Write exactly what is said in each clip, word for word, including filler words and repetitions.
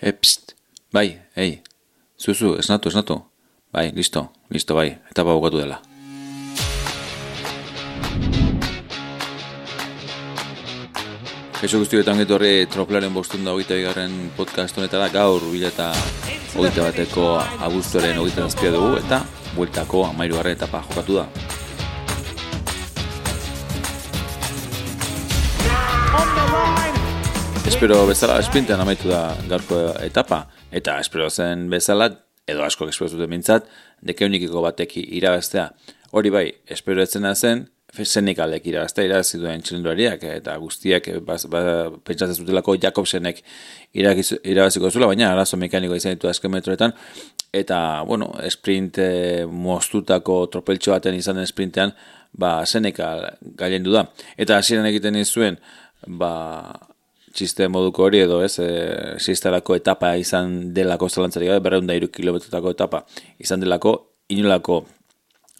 E, pst, bai, ei, zuzu, esnatu, esnatu. Bai, listo, listo, bai, etapa bukatu dela. Kaixo guztietan getorri Tropelaren bostehun eta hogeita bigarren podcast honetara gaur bila eta hogeita bateko abuztuaren hogeita zazpia dugu eta bueltako hamahirugarren etapa jokatu da. Espero bezala sprintean amaitu da gaurko etapa eta espero zen bezala edo asko espero zuten mintzat dekeunikiko batek irabaztea. Hori bai, espero etzena zen Senekalek irabaztea irabazi duen txirrindulariak eta guztiak ba, ba, pentsatzen zutelako Jakobsenek irabaziko zuela, baina arazo mekaniko izan ditu azken metroetan eta, bueno, sprint eh, moztutako tropeltxo baten izan den sprintean ba, Senekal gailendu da. Eta hasieran egiten zuen ba, txiste moduko hori edo ez, e, sistalako etapa izan delako zalantzarik gabe, berrehun eta hiru kilometrotako etapa izan delako, inolako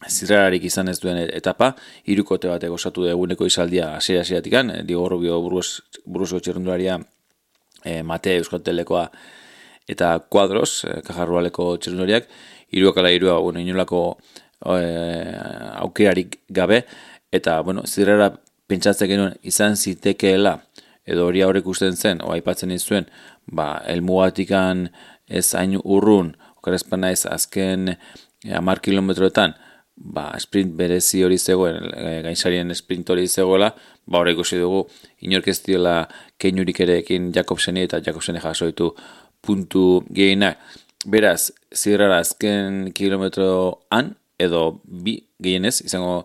zirrararik izan ez duen etapa, hirukote batek osatu eguneko izaldia hasiera-hasieratik, Diego Rubio Burgosko txirrindularia, e, Mate Euskaltelekoa eta Cuadros, e, Kajarrualeko txirrindulariak, hiruak ala hirua, bueno, inolako e, aukerarik gabe, eta, bueno, zirrara pentsatzen genuen izan zitekeela, edo hori aurrek usten zen, o aipatzen izuen, ba, elmugatikan ez hain urrun, okarezpan naiz azken hamar kilometroetan, ba, sprint berezi hori zegoen, e, gainsarien sprint hori zegoela, ba, hori ikusi dugu, inork ez diola keinurik erekin Jakobseni eta Jakobseni jasoitu puntu gehienak. Beraz, zirrara azken kilometroan, edo bi gehienez, izango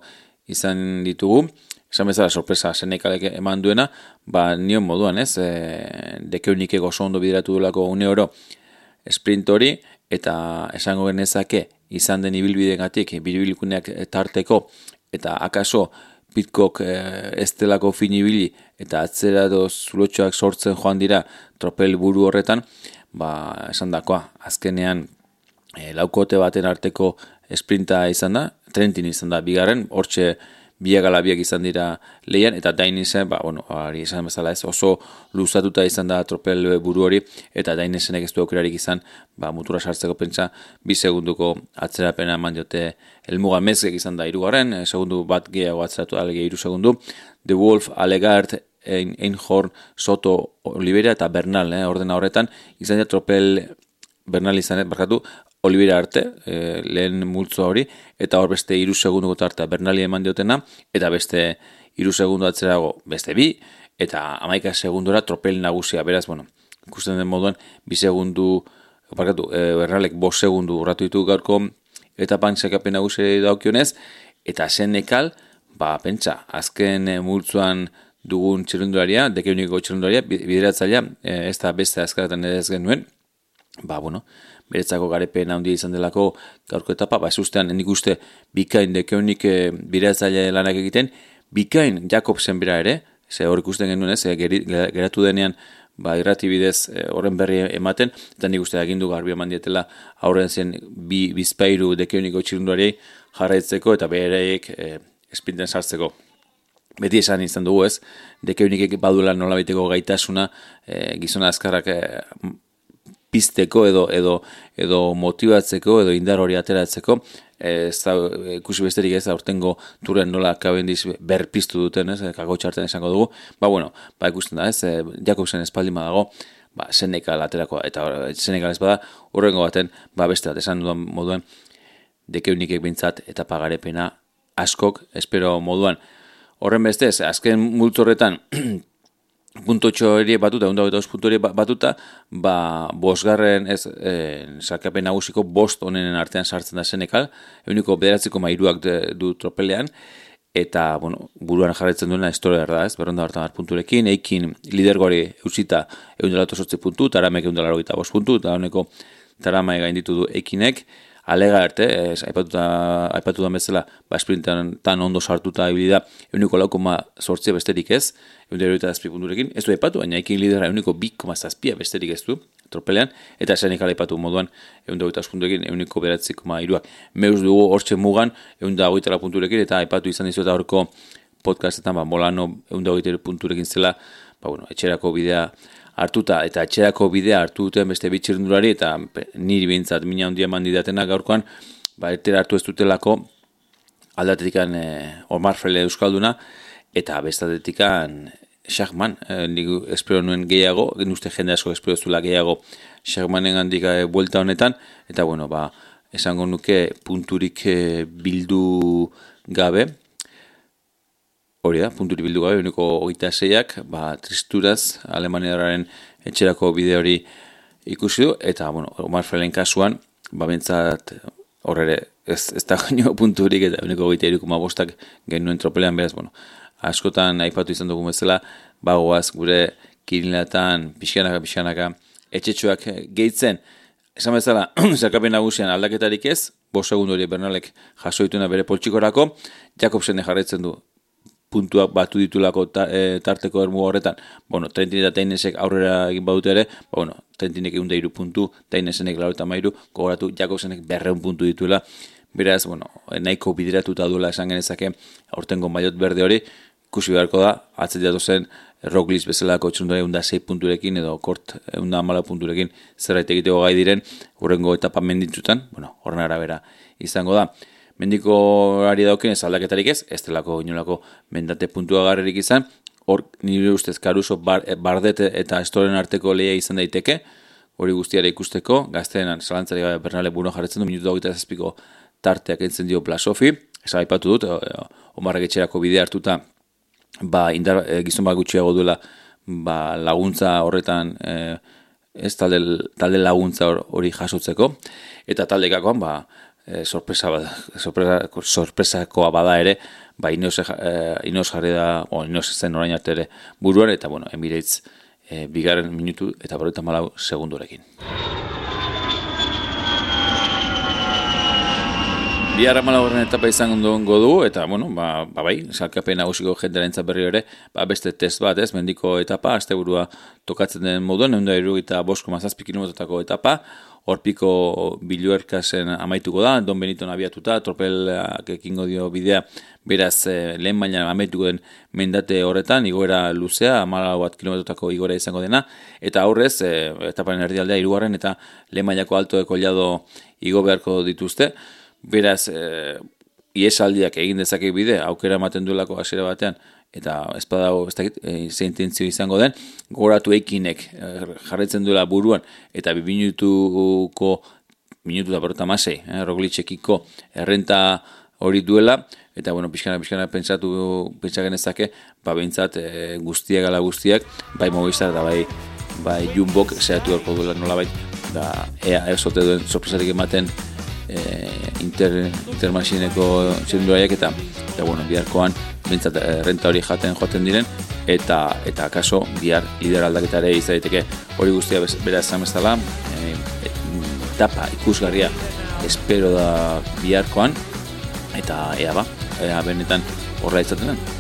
izan ditugu, esan bezala sorpresa Senekalek eman duena, ba nion moduan ez, e, dekeunikek oso ondo bideratu duelako une oro sprint hori, eta esango genezake izan den ibilbidegatik, biribilkuneak tarteko, eta akaso Pitcock e, ez delako fin ibili, eta atzera edo zulotxoak sortzen joan dira tropel buru horretan, ba esan dakoa, azkenean e, laukote baten arteko sprinta izan da, Trentin izan da bigarren, hortxe biak ala biak izan dira lehian, eta Dainisen, ba, bueno, hori izan bezala ez, oso luzatuta izan da tropel buru hori, eta Dainisenek ez du aukerarik izan, ba, mutura sartzeko pentsa, bi segunduko atzerapena eman diote helmuga Mezgek izan da hirugarren, segundu bat gehiago atzeratu alege hiru segundu, The Wolf, Alegart, Einhorn, Soto, Oliveira eta Bernal, eh, ordena horretan, izan da tropel Bernal izan, barkatu, Oliveira arte, e, lehen multzo hori, eta hor beste hiru segunduko tartea Bernali eman diotena, eta beste hiru segundu atzerago beste bi, eta hamaika segundura tropel nagusia, beraz, bueno, ikusten den moduan, bi segundu, barkatu, e, Bernalek bost segundu urratu ditu gaurko, eta pantzekapen nagusia daukionez, eta Senekal, ba, pentsa, azken e, multzoan dugun txirrindularia, dekeuniko txirrindularia, bideratzailea, e, ez da beste azkaratan ere ez genuen, ba, bueno, beretzako garepen handia izan delako gaurko etapa, ba, ez ustean, nik uste bikain dekeunik e, bideratzailea lanak egiten, bikain Jakobsen bera ere, ze hor ikusten genuen ez, e, geri, geratu denean, ba, irratibidez e, horren berri ematen, eta nik uste agindu garbi eman dietela aurren zen bi bizpairu dekeuniko txirrindulariei jarraitzeko eta bereik e, esprinten sartzeko. Beti esan izan dugu ez, dekeunikek baduela nolabiteko gaitasuna, e, gizona azkarrak e, pizteko edo edo edo motibatzeko edo indar hori ateratzeko, ez da ikusi besterik ez aurtengo turen nola Cavendish berpiztu duten, ez, kakotxarten esango dugu. Ba bueno, ba ikusten da, ez, Jakobsen espaldin badago, ba Senekal aterako eta Senekal ez bada, hurrengo baten, ba beste bat esan dudan moduan dekeunikek behintzat eta pagarepena askok, espero moduan. Horren bestez, azken multzo horretan puntotxo hori batuta, ehun eta hogeita bost puntu hori batuta, ba, bosgarren, ez, e, sarkapen nagusiko bost honenen artean sartzen da Senekal, ehuneko bederatziko mairuak du tropelean, eta, bueno, buruan jarraitzen duena historia da, ez, berronda hartan punturekin, eikin lidergori eusita ehun eta laurogeita zortzi puntu, Taramek ehun eta laurogeita bost puntu, eta honeko Tarama gainditu du eikinek, Alega arte, ez, aipatuta, aipatutan bezala, ba, sprintan tan ondo sartuta ibili da, ehuneko lau koma zortzi besterik ez, ehun eta hirurogeita zazpi punturekin, ez du aipatu, baina ekin lidera ehuneko bi koma zazpi besterik ez du, tropelean, eta Senekal aipatu moduan, ehun eta hogeita bost punturekin, ehuneko bederatzi koma hiruak. Meuz dugu hortxe mugan, ehun eta hogeita lau punturekin, eta aipatu izan dizueta horko podcastetan, ba, Molano ehun eta hogeita hiru punturekin zela, ba, bueno, etxerako bidea hartuta eta etxerako bidea hartu duten beste bitxirrendulari eta niri behintzat mina handia eman didatena gaurkoan, ba, etera hartu ez dutelako aldatetikan eh, Omar Frele euskalduna eta bestatetikan Schachmann, eh, nik espero nuen gehiago, uste jende asko espero zula gehiago Schachmannen handik eh, buelta honetan, eta bueno, ba, esango nuke punturik eh, bildu gabe, hori da, punturik bildu gabe, uniko hogeita zeiak, ba, tristuraz, Alemaniararen etxerako bide hori ikusi du, eta bueno, Omar Frelen kasuan, ba, bentsat horre ez, ez da gaino punturik, eta uniko hogeita irukuma bostak genuen tropelean, beraz, bueno, askotan aipatu izan dugu bezala, bagoaz gure kirinlatan pixkanaka pixkanaka etxetxoak gehitzen. Esan bezala, zerkapen nagusian aldaketarik ez, bost segundu hori Bernalek jaso dituna bere poltsikorako, Jakobsen jarraitzen du puntuak batu ditulako ta, e, tarteko ermu horretan, bueno, Trentin eta Tainesek aurrera egin badute ere, ba, bueno, Trentinek egun da iru puntu, Tainesenek lau eta mairu, gogoratu Jakobsenek berreun puntu dituela, beraz, bueno, nahiko bideratuta duela esan genezake aurtengo maillot berde hori, ikusi beharko da, atzetiatu zen Roglic bezalako txundura egun da sei punturekin edo kort egun da amala punturekin zerbait egiteko gai diren hurrengo etapa menditzutan, bueno, horren arabera izango da. Mendiko ari dauken ez aldaketarik ez, ez delako inolako mendate puntua garrerik izan, hor nire ustez Caruso, bar, Bardete eta Estoren arteko lehia izan daiteke, hori guztiara ikusteko, gazteenan zalantzari gabe Bernale buruan jarretzen du, minutu hogeita zazpiko tarteak entzen dio Plasofi, esan aipatu dut, Omarrek etxerako bidea hartuta, ba, indar, e, gizon bat gutxiago duela ba, laguntza horretan, e, ez talde, talde laguntza hori jasotzeko, eta taldekakoan, ba, e, sorpresa, sorpresa, sorpresakoa bada ere, ba, Ineos, e, Ineos jarri da, o, Ineos zen orain arte ere buruan, eta, bueno, Emirates e, bigarren minutu eta berrogeita hamalau segundurekin. Bihar hamalaugarren etapa izango du, eta, bueno, ba, ba bai, salkapen nagusiko jendearentzat berri ere, ba, beste test bat, ez, mendiko etapa, asteburua tokatzen den moduan, ehun eta hirurogeita bost koma zazpi kilometrotako etapa, horpiko Biluerkasen amaituko da, Don Beniton abiatuta, tropelak ekingo dio bidea, beraz, eh, lehen baina amaituko den mendate horretan, igoera luzea, hamalau bat kilometrotako igoera izango dena, eta aurrez, eh, etaparen erdialdea hirugarren eta lehen mailako alto de kollado igo beharko dituzte, beraz, e, iesaldiak egin dezake bide, aukera ematen duelako hasiera batean, eta ez badago, ez dakit, e, ze intentzio izango den, gogoratu Eikinek e, jarraitzen duela buruan, eta bi minutuko, minutu da berrota masei, eh, Roglicekiko errenta hori duela, eta, bueno, pixkana, pixkana pentsatu, pentsagen ezake, ba, behintzat, e, guztiak ala guztiak, bai Movistar eta bai, bai Jumbok, zehatu erko duela nola bai, da, ea, ezote duen sorpresarik ematen, E, inter, intermasineko txirindulariak eta, eta bueno, biharkoan bintzat renta hori jaten joaten diren eta eta akaso bihar lider aldaketare izaiteke hori guztia bera esan bezala e, e, etapa ikusgarria espero da biharkoan eta ea ba, ea benetan horra izaten den.